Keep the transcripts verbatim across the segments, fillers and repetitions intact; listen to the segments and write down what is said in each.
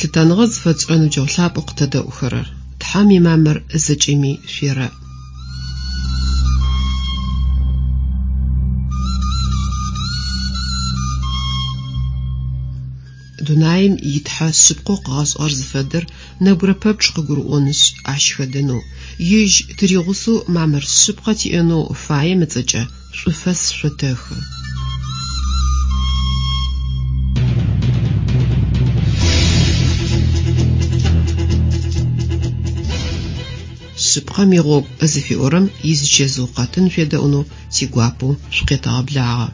Лъытэныгъэ зыфэтшӏырэ ныбджэгъу лъапӏэу къытэдэӏухэрэр, Тхьэм имамыр зэкӏэми шъуерэӏ. Дунаим итхьэ шъыпкъэу къыгъэшӏыгъэр зыфэдэр нэбгырэ пэпчъ къыгурыӏонышъ, ащ хэдэнэу, ежь тыригъусэу мамыр шъыпкъэ тиӏэнэу фаем ыцӏэкӏэ шӏуфэс шъотэхы. Шъыпкъэм игъогу зыфиӏорэм изычэзыу къэтын шъуедэӏунэу тигуапэу шъукъетэгъэблагъэ.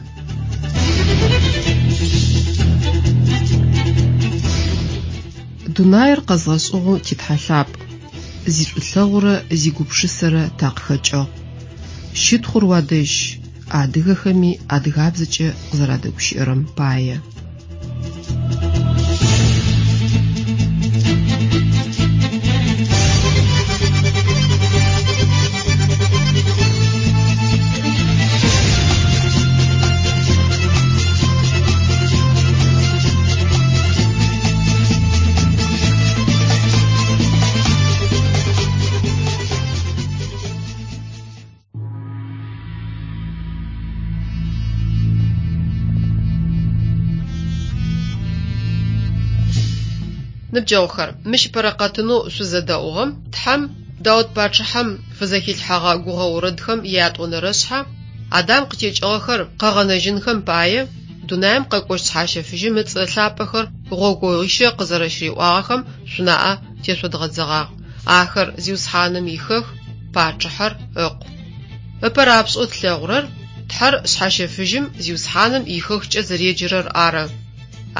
Дунаир къэзгъэшӏыгъэу титхьэ лъапӏ, зишӏулъэгъурэ зигупшысэрэ такъыхэкӏыгъ. Щытхъур уадэжь, адыгэхэми адыгабзэкӏэ къызэрадэгущыӏэрэм пае. Ныбджэгъухэр, мыщ ыпэрэ къэтынэу шъузэдэӏугъэм Тхьэм Даут пачъыхьэм фызэхилъхьэгъэ гугъэ орэдхэм ятӏонэрэшъхьэ Адам къытекӏыгъэхэр къэгъэнэжьынхэм пае дунаим къэкӏощт Шъхьащэфыжьым ыцӏэ лъапӏэхэр гъогогъуищэ къызэрэщыриӏуагъэхэм шъунаӏэ тешъодгъэдзэгъагъ. Ахэр Зиусхьаным ихэх, пачъыхьэр ыкъу. Ыпэ рапшӏэу тлъэгъурэр Тхьэр Шъхьащэфыжьым Зиусхьаным ихэхкӏэ зэреджэрэр ары.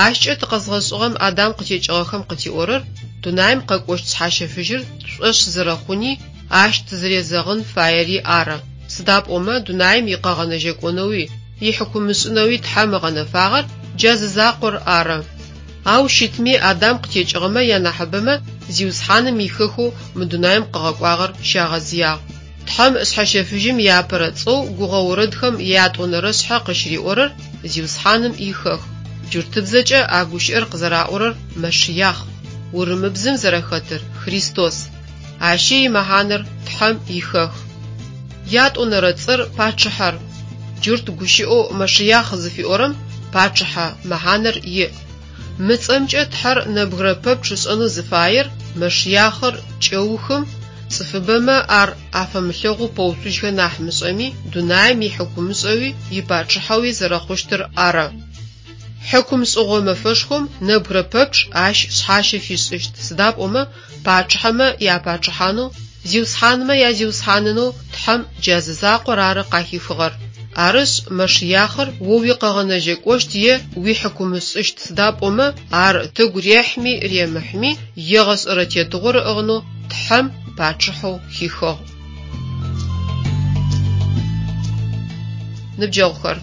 Ащкӏэ тыкъэзгъэшӏыгъэм Адам къытекӏыгъэхэм къытиӏорэр дунаим къэкӏощт Шъхьащэфыжьыр тшӏошъ зэрэхъуни, ащ тызэрезэгъын фаери ары. Сыда пӏомэ дунаим икъэгъэнэжьэкӏонэуи, ихьыкумышӏынэуи Тхьэм ыгъэнэфагъэр джа зы закъор ары. Ау щытми Адам къытекӏыгъэмэ янахьыбэмэ Зиусхьаным ихэхэу мы дунаим къыгъэкӏуагъэр щагъэзыягъ. Тхьэм Шъхьащэфыжьым иапэрэ цӏэу гугъэ орэдхэм ятӏонэрэшъхьэ къыщыриӏорэр Зиусхьаным ихэх. Джуртыбзэкӏэ а гущыӏэр къызэраӏорэр Мэшыяхъ, урымыбзэм зэрэхэтыр Христос. Ащи имэхьанэр Тхьэм ихэх. Ятӏонэрэ цӏэр пачъыхьэр. Джурт гущыӏэу Мэшыяхъ зыфиӏорэм пачъыхьэ мэхьанэр иӏ. Мы цӏэмкӏэ Тхьэр нэбгырэ пэпчъ ышӏэнэу зыфаер Мэшыяхъыр кӏэухым цӏыфыбэмэ ар афэмылъэгъоу пэуцужьхэ нахь мышӏэми, дунаим ихьыкумышӏэуи ипачъыхьэуи зэрэхъущтыр ары. Хьыкум шӏыгъо мэфэшхом нэбгырэ пэпчъ ащ шъхьащэ фишӏыщт, сыда пӏомэ пачъыхьэмэ япачъыхьанэу, зиусхьанмэ язиусхьанынэу Тхьэм джа зы закъор ары къахихыгъэр. Арышъ, Мэшыяхъыр о уикъэгъэнэжьэкӏощт е уихьыкумышӏыщт, сыда пӏомэ ар тыгу рехьми ремыхьми егъэшӏэрэ тетыгъор ыӏыгъынэу Тхьэм пачъыхьэу хихыгъ. Ныбджэгъухэр,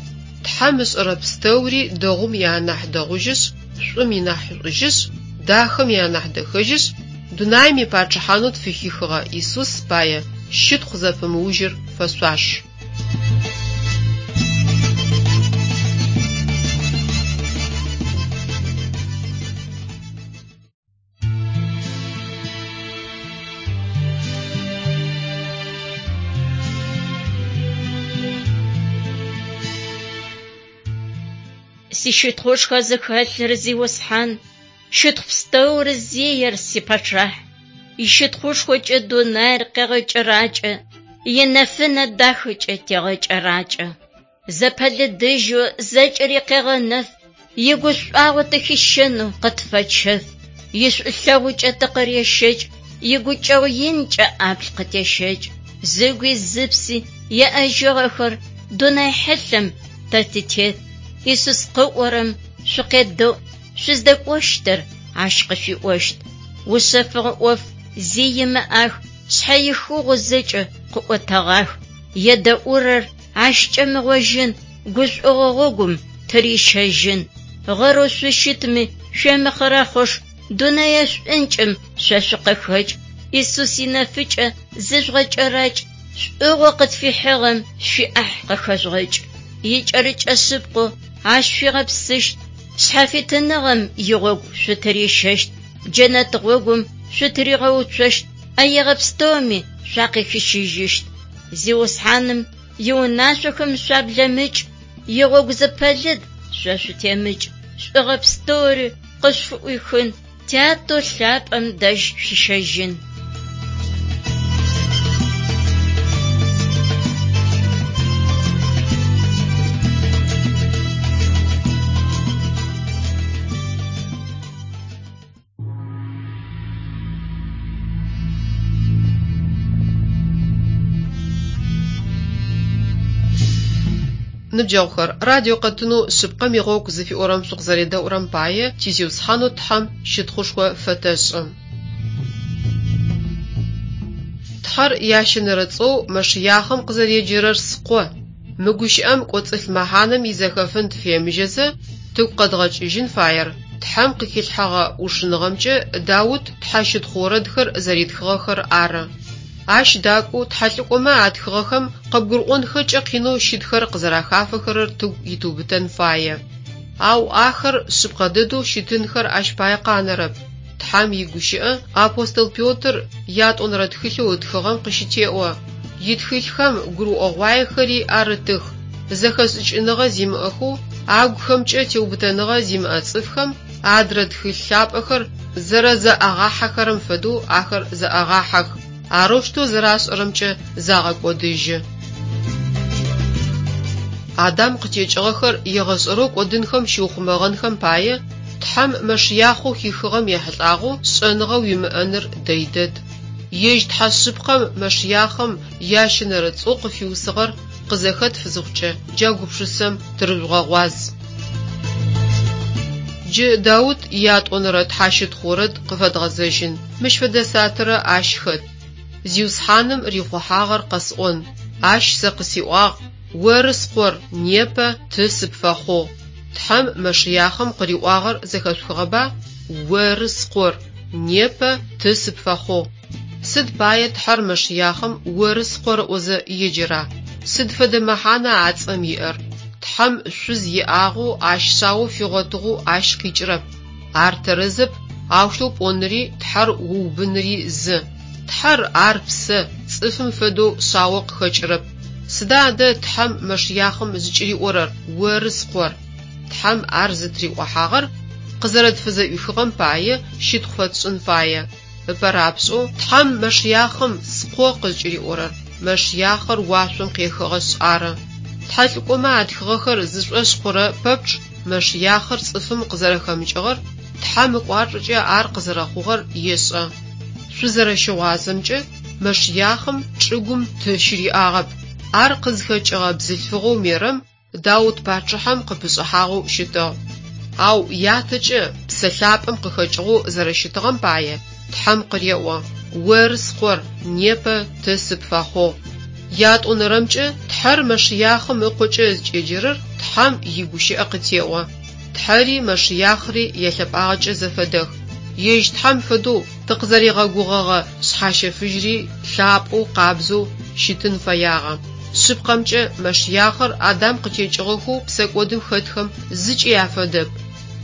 Тхьэм ышӏэрэ пстэури дэгъум ианахь дэгъужьышъ, шӏум инахьышӏужьышъ, дахэм ианахь дэхэжьышъ, дунаим ипачъыхьанэу тфыхихыгъэ Исус пае щытхъу зэпымыужьыр фэшъуаш. Сищытхъушхо зыхэлъыр Зиусхьан, щытхъу пстэур зиер сипачъыхь. Ищытхъушхокӏэ дунаир къегъэкӏэракӏэ, инэфынэ дахэкӏэ тегъэкӏэракӏэ. Зэпэлыдыжьэу зэкӏэри къегъэнэф, игушӏуагъо тыхищэнэу къытфэчэф. Ишӏулъэгъукӏэ тыкъырещэкӏ, игукӏэгъу инкӏэ ӏаплъ къытещэкӏ. Зыгуи зыпси еӏэжьыгъэхэр дунай хьылъэм тэ тытет. Исус къыӏорэм шъукъедэӏу, шъуздэкӏощтыр ащ къышъуиӏощт. Ушъэфыгъэ ӏоф зи имыӏах, шъхьэихыгъэу зэкӏэ къыӏотэгъах. Едэӏурэр ащ кӏэмыгъожьын, гушӏогъо гъогум тырищэжьын. Гъэрэу шъущытми шъуемыхъырэхъыш, дунэе шӏункӏым шъо шъукъыхэкӏ. Исус инэфыкӏэ зыжъугъэкӏэракӏ, шӏугъэу къытфихьыгъэм шъуиӏахь къыхэжъугъэкӏ. Икӏэрыкӏэ шъыпкъэу ащ шъуигъэпсыщт, шъхьафитыныгъэм игъогу шъутырищэщт. Джэнэт гъогум шъутыригъэуцощт, ӏэегъэ пстэуми шъуакъыхищыжьыщт. Зиусхьаным иунашъохэм шъуаблэмыкӏ, игъогу зэпэлыд шъо шъутемыкӏ. Шӏугъэ пстэури къышъуфыӏуихын, Тятэу лъапӏэм дэжь шъуищэжьын. Ныбджэгъухэр, радио къэтынэу шъыпкъэм игъогу зыфиӏорэм шъукъызэредэӏурэм пае тизиусхьанэу Тхьэм щытхъушхо фэтэшӏы. Тхьэр ящэнэрэ цӏэу Мэшыяхъым къызэреджэрэр «Скъо». Мы гущыӏэм кӏоцӏылъ мэхьанэм изэхэфын тыфемыжьэзэ, тыгу къэдгъэкӏыжьын фаер Тхьэм къыхилъхьэгъэ ӏушыныгъэмкӏэ Даут тхьэщытхъу орэдхэр зэритхыгъэхэр ары. Ащ дакӏоу тхьэлӏыкӏомэ атхыгъэхэм къыбгурыӏонхэкӏэ къинэу щытхэр къызэрахафэхэрэр тыгу итыубытэн фае. Ау ахэр шъыпкъэ дэдэу щытынхэр ащ пае къанэрэп. Тхьэм игущыӏэ апостол Петр ятӏонэрэ тхылъэу ытхыгъэм къыщытеӏо. Итхылъхэм гурыӏогъуаехэри арытых. Зэхэшӏыкӏыныгъэ зимыӏэхэу, агухэмкӏэ теубытэныгъэ зимыӏэ цӏыфхэм адрэ тхылъ лъапӏэхэр зэрэзэӏагъахьэхэрэм фэдэу ахэр зэӏагъахьэх. Арэущтэу зэрашӏэрэмкӏэ загъэкӏодыжьы. Адам къытекӏыгъэхэр егъэшӏэрэу кӏодынхэм щыухъумэгъэнхэм пае Тхьэм Мэшыяхъэу хихыгъэм ехьылӏагъэу шӏэныгъэ уимыӏэныр дэй дэд. Ежь Тхьэ шъыпкъэм Мэшыяхъым ящэнэрэ цӏэу къыфиусыгъэр къызэхэтф зыхъукӏэ джа гупшысэм тырыжъугъэгъуаз. Джы Даут ятӏонэрэ тхьэщытхъу орэд къыфэдгъэзэжьын. Мыщ фэдэ сатырэ ащ хэт. Зиусхьаным рихъухьагъэр къэсӏон. Ащ сэ къысиӏуагъ: «Оры скъор, непэ ты сыпфэхъугъ». Тхьэм Мэшыяхъым къыриӏуагъэр зэхэшъухыгъэба? Оры скъор, непэ ты сыпфэхъугъ. Сыд пае Тхьэр Мэшыяхъым оры скъор ыӏозэ еджэра? Сыд фэдэ мэхьана а цӏэм иӏэр? Тхьэм шъуз иӏагъэу, ащ шъао фигъотыгъэу ащ къикӏырэп. Ар тэрэзэп, аущтэу пӏоныри Тхьэр уубыныри зы. Тхьэр ар псэ, цӏыфым фэдэу шъао къыхэкӏырэп. Сыда адэ Тхьэм Мэшыяхъым зыкӏыриӏорэр «Оры скъор»? Тхьэм ар зытыриӏохьагъэр къызэрэтфызэӏуихыгъэм пае щытхъу фэтшӏын фае. Ыпэрапшӏэу Тхьэм Мэшыяхъым «Скъо» къызкӏыриӏорэр Мэшыяхъыр уашъом къехыгъэшъ ары. Тхьэлӏыкӏомэ атхыгъэхэр зышӏошъ хъурэ пэпчъ Мэшыяхъыр цӏыфым къызэрэхэмыкӏыгъэр, Тхьэм ыкӏуачӏэкӏэ ар къызэрэхъугъэр ешӏэ. Шъузэрэщыгъуазэмкӏэ, Мэшыяхъым чӏыгум ты щыриӏагъэп. Ар къызхэкӏыгъэ бзылъфыгъэу Мерэм Даут пачъыхьэм къыпышӏыхьагъэу щытыгъ. Ау ятэкӏэ Псэ Лъапӏэм къыхэкӏыгъэу зэрэщытыгъэм пае Тхьэм къыреӏо: «Оры скъор, непэ ты сыпфэхъугъ». Ятӏонэрэмкӏэ Тхьэр Мэшыяхъым ыкъокӏэ зыкӏеджэрэр Тхьэм игущыӏэ къытеӏо. Тхьэри Мэшыяхъри ялъэпӏагъэкӏэ зэфэдэх. Ежь Тхьэм фэдэу тыкъызэригъэгугъэгъэ шъхьащэфыжьри лъапӏэу къабзэу щытын фэягъэ. Шъыпкъэмкӏэ Мэшыяхъыр Адам къытекӏыгъэхэу псэкӏодым хэтхэм зыкӏи афэдэп.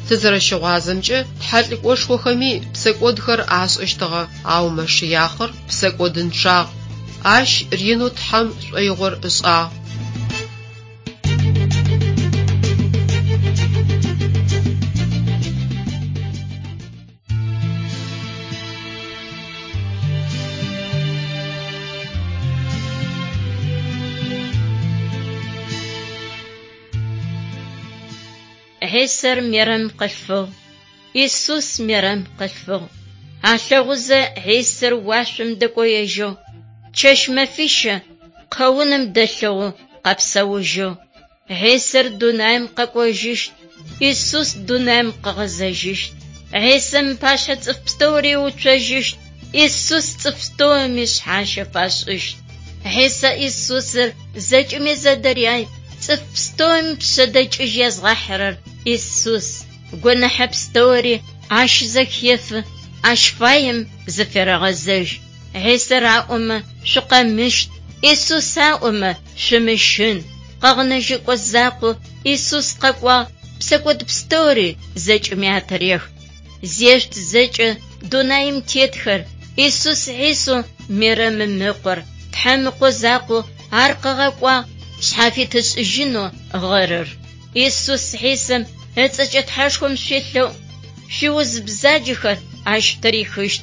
Тызэрэщыгъуазэмкӏэ, тхьэлӏыкӏошхохэми псэкӏодхэр ашӏэщтыгъэ, ау Мэшыяхъыр псэкӏодынчъагъ. Ащ ренэу Тхьэм шӏоигъор ышӏагъ. Хьисэр Мерэм къылъфыгъ, Исус Мерэм къылъфыгъ. Алъэгъузэ Хьисэр уашъом дэкӏоежьыгъ. Чэщ мэфищэ къэуным дэлъыгъэу къэпсэужьыгъ. Хьисэр дунаим къэкӏожьыщт, Исус дунаим къыгъэзэжьыщт. Хьисэм пашъхьэ цӏыф пстэури уцожьыщт, Исус цӏыф пстэуми шъхьащэ фашӏыщт. Хьисэ Исусыр зэкӏэми зэдыряй, цӏыф пстэуми пшъэдэкӏыжь езгъахьырэр Исус. Гонахьэ пстэури ащ зэхефы, ащ фаем зыферэгъэзэжь. Хьисэр аӏомэ шъукъэмыщт, Исус аӏомэ шъумыщын. Къэгъэнэжьыкӏо закъо Исус къэкӏуагъ, псэкӏод пстэури зэкӏэми атырех. Зешъут зэкӏэ Дунаим тетхэр, Исус Хьисэу Мерэмым ыкъор, Тхьэм ыкъо закъоу ар къыгъэкӏуагъ шъхьафит ышӏыжьынэу гъэрыр. Исус Хьисэм ыцӏэкӏэ Тхьэшхом шъуелъэӏу, шъуиуз бзаджэхэр ащ тырихыщт,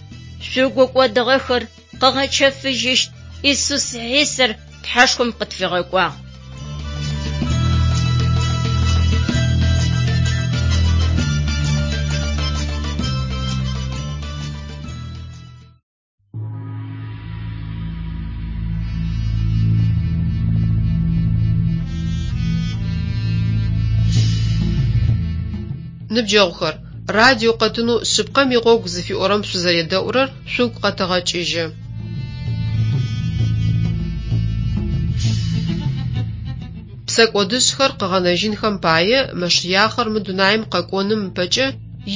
шъугу кӏодыгъэхэр къыгъэчэфыжьыщт. Исус Хьисэр Тхьэшхом къытфигъэкӏуагъ. Ныбджэгъухэр, радио къэтынэу «Шъыпкъэм игъогу» зыфиӏорэм шъузэредэӏурэр шъугу къэтэгъэкӏыжьы. Псэкӏодышӏхэр къыгъэнэжьынхэм пае Мэшыяхъыр мы дунаим къэкӏоным ыпэкӏэ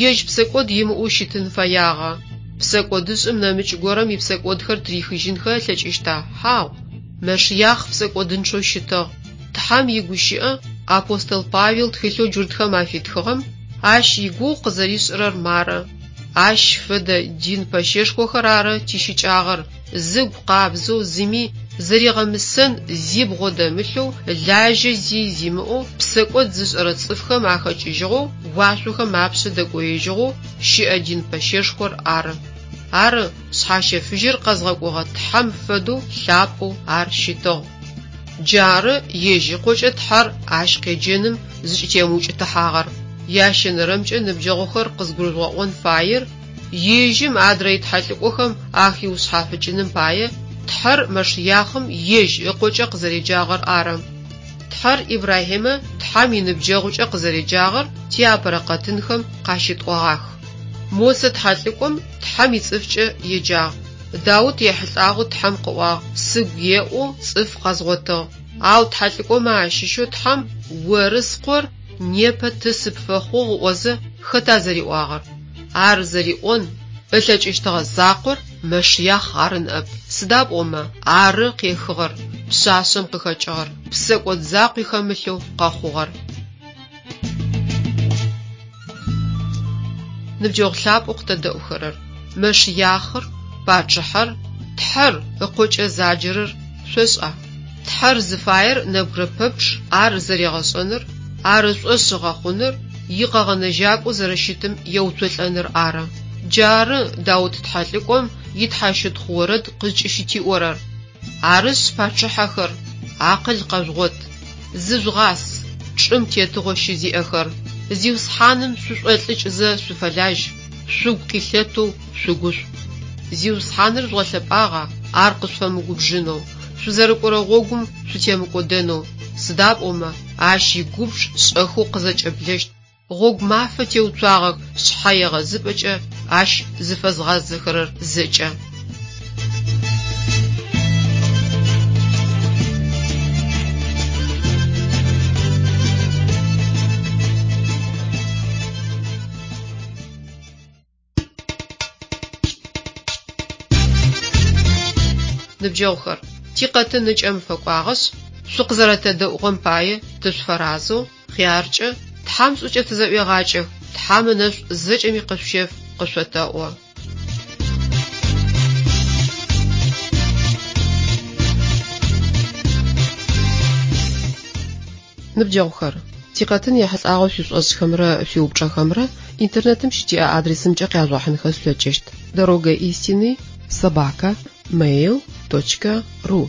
ежь псэкӏод имыӏэу щытын фэягъэ. Псэкӏодышӏым нэмыкӏ горэм ипсэкӏодхэр тырихыжьынхэ ылъэкӏыщта? Хьау! Мэшыяхъ псэкӏодынчъэу щытыгъ. Тхьэм игущыӏэ апостол Павел тхылъэу джуртхэм афитхыгъэм ащ игугъу къызэришӏырэр мары: Ащ фэдэ дин пэщэшхохэр ары тищыкӏагъэр, зыгу къабзэу, зыми зэригъэмысэн зи бгъодэмылъэу, лажьэ зи зимыӏэу, псэкӏод зышӏэрэ цӏыфхэм ахэкӏыжьыгъэу, уашъохэм апшъэ дэкӏоежьыгъэу щыӏэ дин пэщэшхор ары. Ары, Шъхьащэфыжьыр къэзгъэкӏогъэ Тхьэм фэдэу лъапӏэу ар щытыгъ. Джары ежь ыкъокӏэ Тхьэр ащ къеджэным зыкӏытемыукӏытыхьагъэр. Ящэнэрэмкӏэ ныбджэгъухэр къызгурыжъугъэӏон фаер ежьым адрэ итхьэлӏыкӏохэм ахиушъхьафыкӏыным пае Тхьэр Мэшыяхъым ежь ыкъокӏэ къызэреджагъэр ары. Тхьэр Ибрахьимэ Тхьэм иныбджэгъукӏэ къызэреджагъэр тиапэрэ къэтынхэм къащытӏогъах. Мосэ тхьэлӏыкӏом Тхьэм ицӏыфкӏэ еджагъ. Даут ехьылӏагъэу Тхьэм къыӏуагъ: «Сыгу еӏоу цӏыф къэзгъотыгъ». Ау тхьэлӏыкӏомэ ащыщэу Тхьэм «Оры скъор, непэ ты сыпфэхъугъ» ыӏозэ хэта зэриӏуагъэр? Ар зэриӏон ылъэкӏыщтыгъэ закъор Мэшыяхъ ары ныӏэп. Сыда пӏомэ ары къехыгъэр, пшъашъэм къыхэкӏыгъэр, псэкӏод закъуи хэмылъэу къэхъугъэр. Ныбджэгъу лъапӏэу къытэдэӏухэрэр: Мэшыяхъыр, пачъыхьэр, Тхьэр ыкъокӏэ заджэрэр шъошӏа? Тхьэр зыфаер нэбгырэ пэпчъ ар зэригъэшӏэныр, ар ышӏошъ ыгъэхъуныр, икъэгъэнэжьакӏоу зэрэщытым еуцолӏэныр ары. Джары Даут тхьэлӏыкӏом итхьащытхъу орэд къызкӏыщытиӏорэр: Арышъ, пачъыхьэхэр, акъыл къэжъугъот, зыжъугъас, чӏым тетыгъо щызиӏэхэр, Зиусхьаным шъушӏолӏыкӏзэ шъуфэлажь, шъугу къилъэтэу шъугушӏу. Зиусхьаныр жъугъэлъэпӏагъа, ар къышъуфэмыгубжынэу, шъузэрыкӏорэ гъогум шъутемыкӏодэнэу, сыда пӏомэ ащ игубж шӏэхэу къызэкӏэблэщт. Гъогу мафэ теуцуагъэх шъхьэегъэзыпӏэкӏэ ащ зыфэзгъазэхэрэр зэкӏэ. Ныбджэгъухэр, тикъэтын ыкӏэм фэкӏуагъэшъ, шъукъызэрэтэдэӏугъэм пае тышъуфэразэу, хъяркӏэ, Тхьэм шӏукӏэ тызэӏуегъакӏэх, Тхьэм ынэшӏу зэкӏэми къышъущеф къышъотэӏо. Ныбджэгъухэр, тикъэтын ехьылӏагъэу шъуишӏошӏхэмрэ шъуиупчӏэхэмрэ интернетым щытиӏэ адресымкӏэ къяжъугъэхьынхэ шъулъэкӏыщт: дорога истины собака mail точка ру.